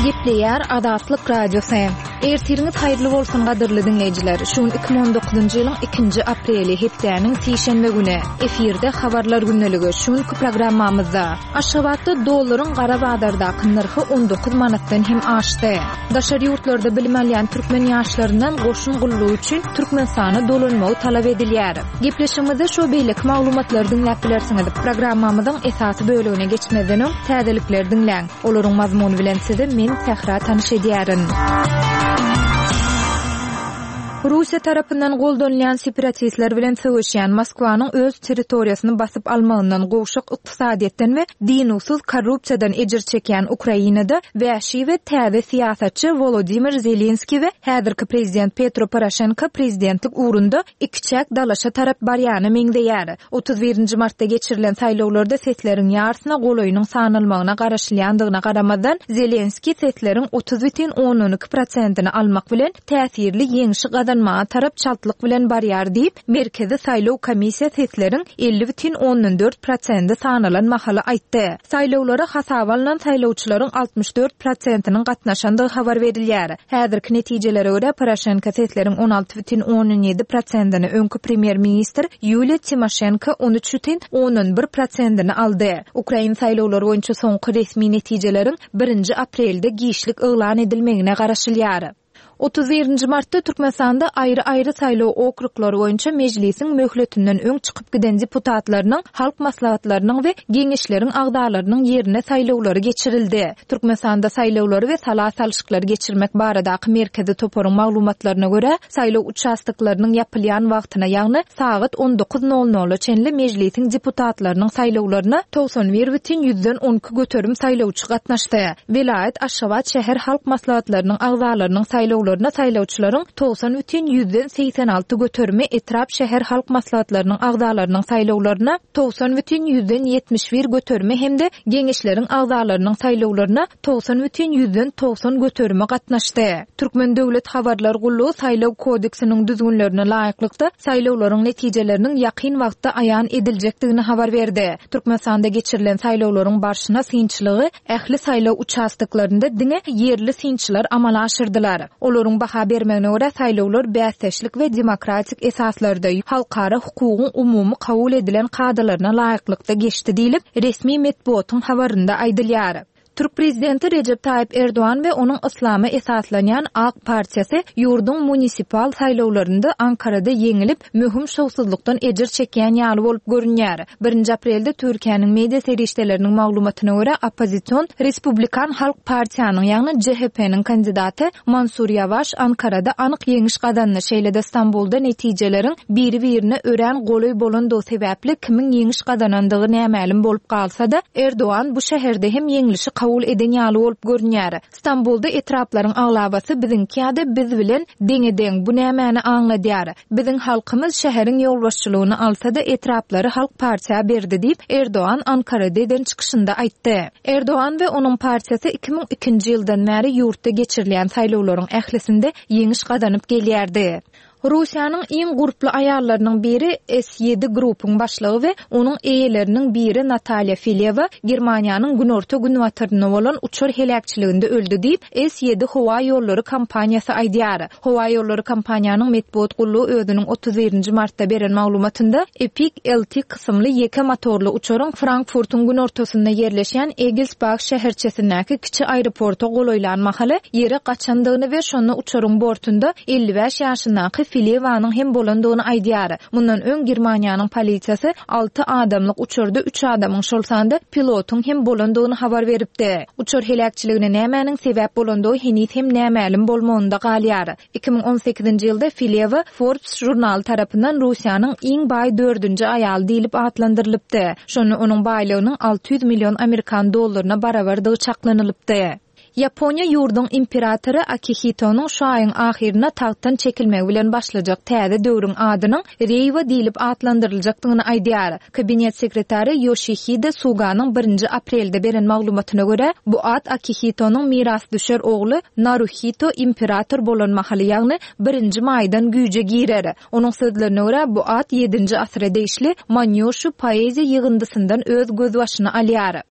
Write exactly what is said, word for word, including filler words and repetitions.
Gepleýär Azatlyk Radiosy. Ertiriňiz haýyrly bolsun gadyrly diňleýjiler. Şu gün iki müň on dokuzynjy ýylyň ikinji apreli, hepdäniň sişenbe güni. Efirde habarlar gündeligi. Şu günki programmamyzda Aşgabatda dollaryň gara bazardaky nyrhy on dokuz manatdan hem aşdy. Daşary ýurtlarda bilim alýan türkmen ýaşlaryndan goşun gullugy üçin Türkmenistana dolanmagy talap edilýär. Gepleşigimizde şu beýleki maglumatlary diňläp bilersiňiz. Programmamyzyň esasy bölegine geçmezden öň täzelikleri diňläň. Olaryň mazmuny bilen sizi men Sähra tanyş edýärin. Russiýa tarapyndan goldanylýan separatistler bilen söweşýän Moskwanyň öz territoriýasyny basyp almagyndan gowşak ykdysadyýetden we dinuwsyz korrupsiýadan ejir çekýän Ukrainada wäşi we täze syýasatçy Wolodimir Zelenskiý we häzirki prezident Petro Poroşenko prezidentlik ugrunda ikiçäk dalaşa tarap barýana meňzeýär. Otuz birinji martda geçirilen saýlawlarda sesleriň ýarsyna golaýynyň sanalmagyna garaşylýandygyna garamazdan, Zelenskiý sesleriň otuz bütin ondan iki prosentini almak bilen täsirli ýeňşi gazanmaga tarap çaltlyk bilen barýar diýip, Merkezi saýlaw komissiýa sesleriň elli bütin ondan dört prosendi sanalan mahaly aýtdy. Saýlawlara hasaba alnan saýlawçylaryň altmyş dört prosentiniň gatnaşandygy habar berilýär. Häzirki netijelere görä Poroşenko sesleriň on alty bütin ondan ýedi prosentini, öňki premýer-ministr Ýuliýa Timoşenko on üç bütin ondan bir prosentini aldy. Ukrain saýlawlary boýunça soňky resmi netijeleriň birinji aprelde giçlik yglan edilmegine garaşylýar. Otuz birinji martda Türkmenistanda aýry-aýry saýlaw okruglary boýunça mejlisiň möhletinden öň çykyp giden deputatlarynyň, halk maslahatlarynyň we geňeşleriň agzalarynyň ýerine saýlawlary geçirildi. Türkmenistanda saýlawlary we sala salşyklary geçirmek baradaky merkezi toparyň maglumatlaryna görä, saýlaw uçastoklarynyň ýapylýan wagtyna, ýagny sagat on dokuz nol nola çenli mejlisiň deputatlarynyň saýlawlaryna togsan bir bütin ýüzden on iki göterim saýlawçy gatnaşdy. Welaýat Aşgabat şäher halk maslahatlarynyň agzalarynyň saýlawlaryna saýlawçylaryň togsan bütin ýüzden segsen alty göterimi, etrap şäher halk maslahatlarynyň agzalarynyň saýlawlaryna togsan bütin ýüzden ýetmiş bir göterimi hem-de geňeşleriň agzalarynyň saýlawlaryna togsan bütin ýüzden togsan göterimi gatnaşdy. Türkmen Döwlet Habarlar Gullugy saýlaw kodeksiniň düzgünlerine laýyklykda saýlawlaryň netijeleriniň ýakyn wagtda aýan ediljekdigini habar berdi. Türkmenistanda geçirilen saýlawlaryň barşyna synçylygy ähli saýlaw uçastoklarynda diňe ýerli synçylar amala aşyrdylar. Olaryň baha bermegine görä saýlawlar bäsdeşlik we demokratik esaslarda halkara hukugyň umumy kabul edilen kadalaryna laýyklykda geçdi diýlip, resmi metbugatyň habarynda aýdylýar. Türk prezidenti Recep Tayyip Erdoğan we onuň yslama esaslanýan AK Partiýasy ýurduň munisipal saýlawlarynda Ankarada ýeňilip, möhüm şowsuzlykdan ejir çekýän ýaly bolup görünýär. Birinji aprelde Türkiýäniň media serişdeleriniň maglumatyna görä oppozision Respublikan Halk Partiýanyň, ýagny C H P-niň kandidaty Mansur Ýawaş Ankarada anyk ýeňiş gazandy. Şeýle-de Stambulda netijeleriň biri-birine örän golaý bolandygy sebäpli kimiň ýeňiş gazanandygy nämälim bolup galsa-da, Erdoğan bu şäherde hem ýeňlişi kabul eden ýaly bolup görünýär. Stambulda etraplaryň aglabasy biziňki ýa-da biz bilen deňe-deň, bu nämäni aňladýar? Biziň halkymyz şäheriň ýolbaşçylygyny alsa-da etraplary Halk Partiýa berdi diýip, Erdoğan Ankarada eden çykyşynda aýtdy. Erdoğan we onuň partiýasy iki müň ikinji ýyldan bäri ýurtda geçirilýän saýlawlaryň ählisinde ýeňiş gazanyp gelýärdi. Russiýanyň iň gurply aýallarynyň biri S ýedi grupyň başlygy we onuň eýeleriniň biri Natalýa Filewa Germaniýanyň günorta günbatarynda bolan uçar heläkçiliginde öldi diýip, S ýedi howa ýollary kompaniýasy aýdýar. Howa ýollary kompaniýanyň metbugat gullugy özüniň otuz birinji martda beren maglumatynda Epic L T kysymly ýeke motorly uçaryň Frankfurtyň günortasynda ýerleşýän Egelsbach şäherçesindäki kiçi aeroporta golaýlan mahaly ýere gaçandygyny we şonda uçaryň bortunda elli bäş ýaşyndaky Filewanyň hem bolandygyny aýdýar. Mundan öň Germaniýanyň polisiýasy alty adamlyk uçarda üç adamyň, şol sanda pilotyň hem bolandygyny habar beripdi. Uçar heläkçiligine nämäniň sebäp bolandygy heniz hem nämälim bolmagynda galýar. iki müň on sekizinji ýylda Filewa Forbes žurnaly tarapyndan Russiýanyň iň baý dördünji aýaly diýlip atlandyrylypdy. Şonda onuň baýlygynyň alty ýüz million amerikan dollaryna barabardygy çaklanylypdy. Ýaponiýa ýurduň imperatory Akihitonyň şu aýyň ahyryna tagtdan çekilmegi bilen başlajak täze döwrüň adynyň Reiwa diýlip atlandyryljakdygyny aýdýar. Kabinet sekretary Yoshihide Suganyň birinji aprelde beren maglumatyna görä, bu at Akihitonyň mirasdüşer ogly Naruhito imperator bolan mahaly, ýagny birinji maýdan güýje girer. Onuň sözlerine görä, bu at ýedinji asyra degişli Manýoshu poeziýa ýygyndysyndan öz gözbaşyny alýar.